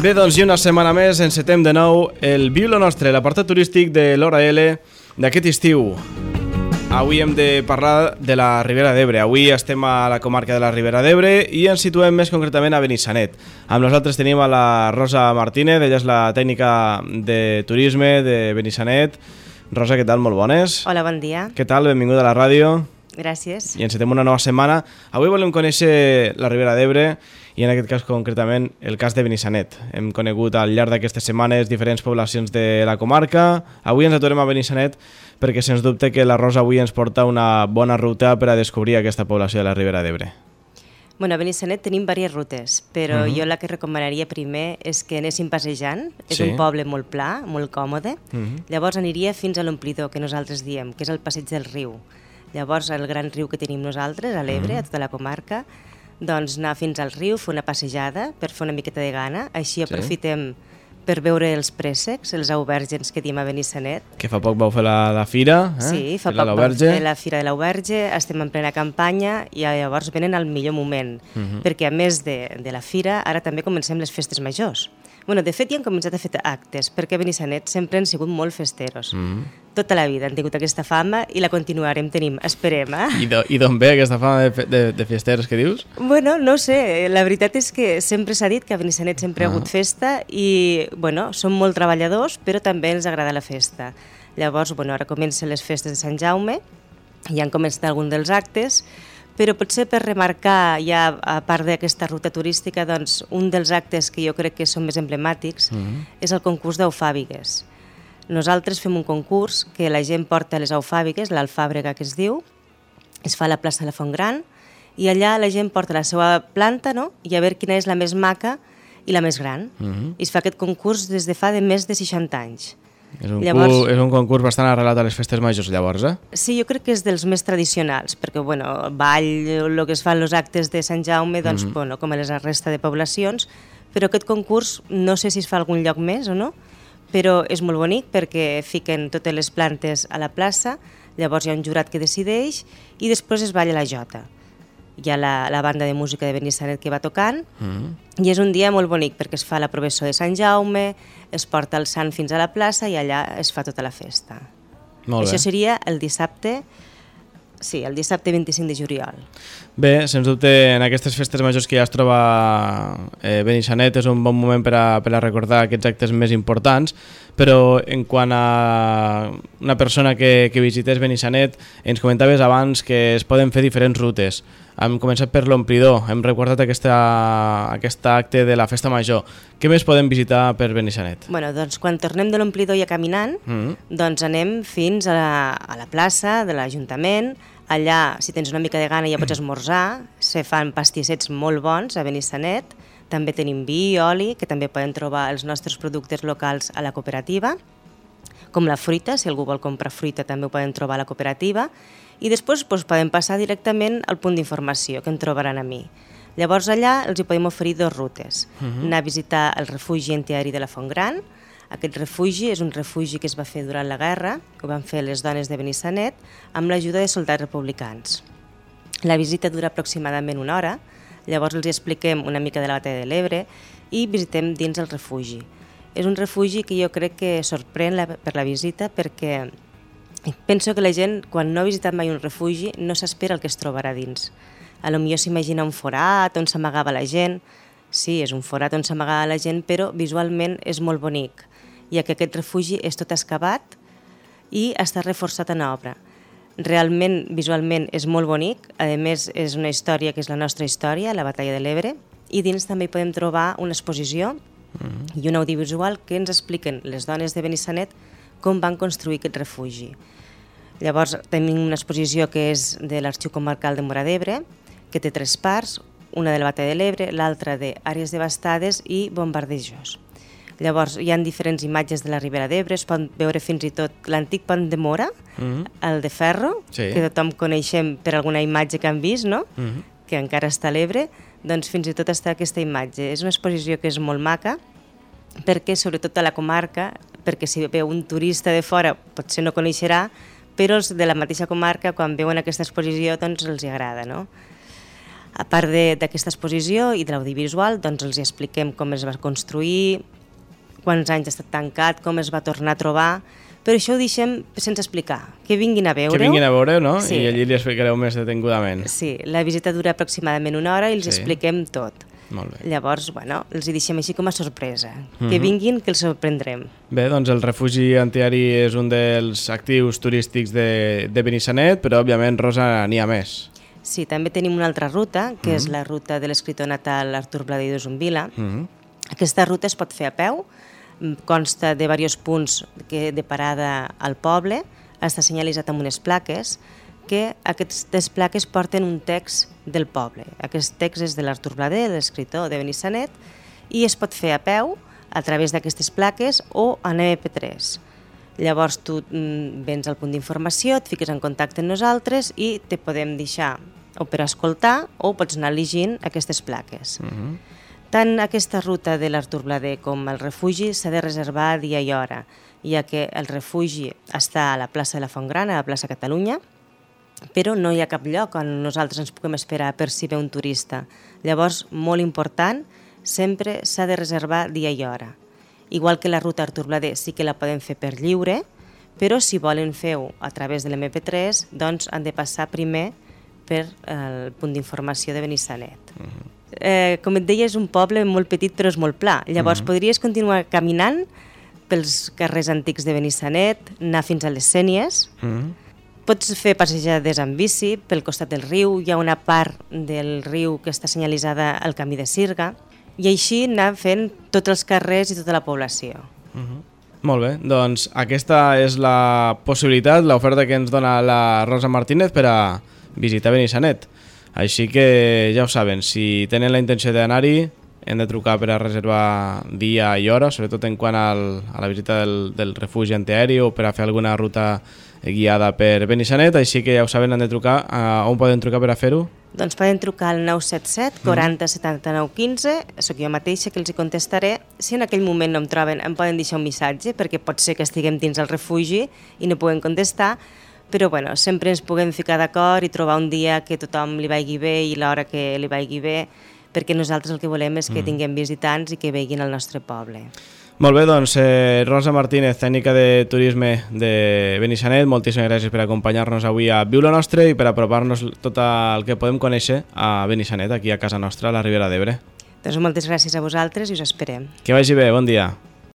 Bé, doncs i una setmana més encetem de nou el Viu lo Nostre, l'apartat turístic de l'Hora L d'aquest estiu. Avui hem de parlar de la Ribera d'Ebre. Avui estem a la comarca de la Ribera d'Ebre i ens situem més concretament a Benissanet. Amb nosaltres tenim a la Rosa Martínez, ella és la tècnica de turisme de Benissanet. Rosa, què tal? Molt bones. Hola, bon dia. Què tal? Benvinguda a la ràdio. Gràcies. I encetem una nova setmana. Avui volem conèixer la Ribera d'Ebre i en aquest cas concretament el cas de Benissanet. Hem conegut al llarg d'aquestes setmanes diferents poblacions de la comarca. Avui ens aturem a Benissanet perquè sens dubte que la Rosa avui ens porta una bona ruta per a descobrir aquesta població de la Ribera d'Ebre. Bueno, a Benissanet tenim diverses rutes, però jo la que recomanaria primer és que anéssim passejant. És un poble molt pla, molt còmode. Llavors aniria fins a l'omplidor, que nosaltres diem, que és el passeig del riu. Llavors, el gran riu que tenim nosaltres, a l'Ebre, a tota la comarca, doncs anar fins al riu, fer una passejada per fer una miqueta de gana. Així aprofitem per veure els préssecs, els auvèrgens que diem a Benissanet. Que fa poc vau fer la fira, Sí, fa poc vau fer la fira de l'auberge, estem en plena campanya i llavors venen al millor moment, perquè a més de la fira, ara també comencem les festes majors. Bueno, de fet, ja han començat a fer actes, perquè a Benissanet sempre han sigut molt festeros. Tota la vida han tingut aquesta fama i la continuarem tenint, esperem. I d'on ve aquesta fama de festeros que dius? Bueno, no sé, la veritat és que sempre s'ha dit que a Benissanet sempre ha hagut festa i, bueno, som molt treballadors, però també ens agrada la festa. Llavors, bueno, ara comencen les festes de Sant Jaume, ja han començat alguns dels actes, però potser per remarcar, ja a part d'aquesta ruta turística, doncs un dels actes que jo crec que són més emblemàtics és el concurs d'eufàbigues. Nosaltres fem un concurs que la gent porta les eufàbigues, l'alfàbrega que es diu, es fa a la plaça de la Font Gran, i allà la gent porta la seva planta, no?, i a veure quina és la més maca i la més gran. I es fa aquest concurs des de fa més de 60 anys. És un concurs bastant arrelat a les festes majors, llavors, Sí, jo crec que és dels més tradicionals, perquè, bueno, ball, el que es fan els actes de Sant Jaume, doncs, bueno, com a la resta de poblacions, però aquest concurs no sé si es fa a algun lloc més o no, però és molt bonic perquè fiquen totes les plantes a la plaça, llavors hi ha un jurat que decideix i després es balla la jota. Hi ha la banda de música de Benissanet que va tocant i és un dia molt bonic perquè es fa la processó de Sant Jaume, es porta el sant fins a la plaça i allà es fa tota la festa. Molt bé. Això seria el dissabte, sí, el dissabte 25 de juliol. Bé, sens dubte, en aquestes festes majors que ja es troba Benissanet és un bon moment per a recordar aquests actes més importants, però en quant a una persona que visités Benissanet, ens comentaves abans que es poden fer diferents rutes. Hem començat per l'omplidor, hem recordat aquest acte de la festa major. Què més podem visitar per Benissanet? Bueno, doncs quan tornem de l'omplidor ja caminant, doncs anem fins a la plaça de l'Ajuntament. Allà, si tens una mica de gana, ja pots esmorzar. Se fan pastissets molt bons a Benissanet. També tenim vi i oli, que també poden trobar els nostres productes locals a la cooperativa. Com la fruita, si algú vol comprar fruita també ho poden trobar a la cooperativa. I després podem passar directament al punt d'informació, que en trobaran a mi. Llavors allà els hi podem oferir dues rutes. Anar a visitar el refugi antiaeri de la Font Gran. Aquest refugi és un refugi que es va fer durant la guerra, ho van fer les dones de Benissanet, amb l'ajuda de soldats republicans. La visita dura aproximadament una hora, llavors els expliquem una mica de la batalla de l'Ebre i visitem dins el refugi. És un refugi que jo crec que sorprèn per la visita perquè penso que la gent, quan no ha visitat mai un refugi, no s'espera el que es trobarà dins. Potser s'imagina un forat on s'amagava la gent. Sí, és un forat on s'amagava la gent, però visualment és molt bonic, ja que aquest refugi és tot excavat i està reforçat en obra. Realment, visualment, és molt bonic. A més, és una història que és la nostra història, la batalla de l'Ebre, i dins també hi podem trobar una exposició i un audiovisual que ens expliquen les dones de Benissanet com van construir aquest refugi. Llavors tenim una exposició que és de l'Arxiu Comarcal de Móra d'Ebre, que té 3 parts, una de la batalla de l'Ebre, l'altra d'àrees devastades i bombardejos. Llavors hi ha diferents imatges de la Ribera d'Ebre, es pot veure fins i tot l'antic pont de Móra, el de ferro, que tothom coneixem per alguna imatge que han vist, no? Que encara està a l'Ebre, doncs fins i tot està aquesta imatge. És una exposició que és molt maca, perquè sobretot a la comarca, perquè si veu un turista de fora potser no coneixerà, però els de la mateixa comarca quan veuen aquesta exposició doncs els agrada, no? A part d'aquesta exposició i de l'audiovisual, doncs els expliquem com es va construir, quants anys ha estat tancat, com es va tornar a trobar, però això ho deixem sense explicar, que vinguin a veure-ho. Que vinguin a veure-ho, no? Sí. I allí li explicareu més detingudament. Sí, la visita dura aproximadament 1 hora i els expliquem tot. Molt bé. Llavors, bueno, els hi deixem així com a sorpresa. Que vinguin, que els sorprendrem. Bé, doncs el refugi antiaeri és un dels actius turístics de Benissanet, però òbviament, Rosa, n'hi ha més. Sí, també tenim una altra ruta, que és la ruta de l'escriptor natal Artur Bladé i d'Usumbila. Aquesta ruta es pot fer a peu, consta de diversos punts de parada al poble, està senyalitzat amb unes plaques, que aquestes plaques porten un text del poble. Aquest text és de l'Artur Bladé, l'escriptor de Benissanet, i es pot fer a peu a través d'aquestes plaques o en MP3. Llavors tu vens al punt d'informació, et fiques en contacte amb nosaltres i te podem deixar o per escoltar o pots anar llegint aquestes plaques. Tant aquesta ruta de l'Artur Bladé com el refugi s'ha de reservar dia i hora, ja que el refugi està a la plaça de la Fontgrana, a la plaça Catalunya, però no hi ha cap lloc on nosaltres ens puguem esperar per si ve un turista. Llavors, molt important, sempre s'ha de reservar dia i hora. Igual que la ruta Artur Bladé sí que la podem fer per lliure, però si volen fer-ho a través de l'MP3, doncs han de passar primer per el punt d'informació de Benissanet. Com et deia, és un poble molt petit però és molt pla. Llavors podries continuar caminant pels carrers antics de Benissanet, anar fins a les Sénies. Pots fer passejades amb bici pel costat del riu, hi ha una part del riu que està senyalitzada al camí de Sirga, i així anar fent tots els carrers i tota la població. Molt bé, doncs aquesta és la possibilitat, l'oferta que ens dona la Rosa Martínez per a visitar Benissanet. Així que ja ho saben, si tenen la intenció d'anar-hi, hem de trucar per a reservar dia i hora, sobretot en quant a la visita del refugi antiaeri o per a fer alguna ruta guiada per Benissanet, així que ja ho saben, han de trucar. On poden trucar per a fer-ho? Doncs poden trucar al 977 40 79 15, sóc jo mateixa que els hi contestaré. Si en aquell moment no em troben, em poden deixar un missatge, perquè pot ser que estiguem dins el refugi i no puguem contestar, però bueno, sempre ens puguem ficar d'acord i trobar un dia que tothom li vagi bé i l'hora que li vagi bé, perquè nosaltres el que volem és que tinguem visitants i que veguin el nostre poble. Molt bé, doncs Rosa Martínez, tècnica de turisme de Benissanet, moltíssimes gràcies per acompanyar-nos avui a Viu lo Nostre i per apropar-nos tot el que podem conèixer a Benissanet, aquí a casa nostra, a la Ribera d'Ebre. Doncs moltes gràcies a vosaltres i us esperem. Que vagi bé, bon dia.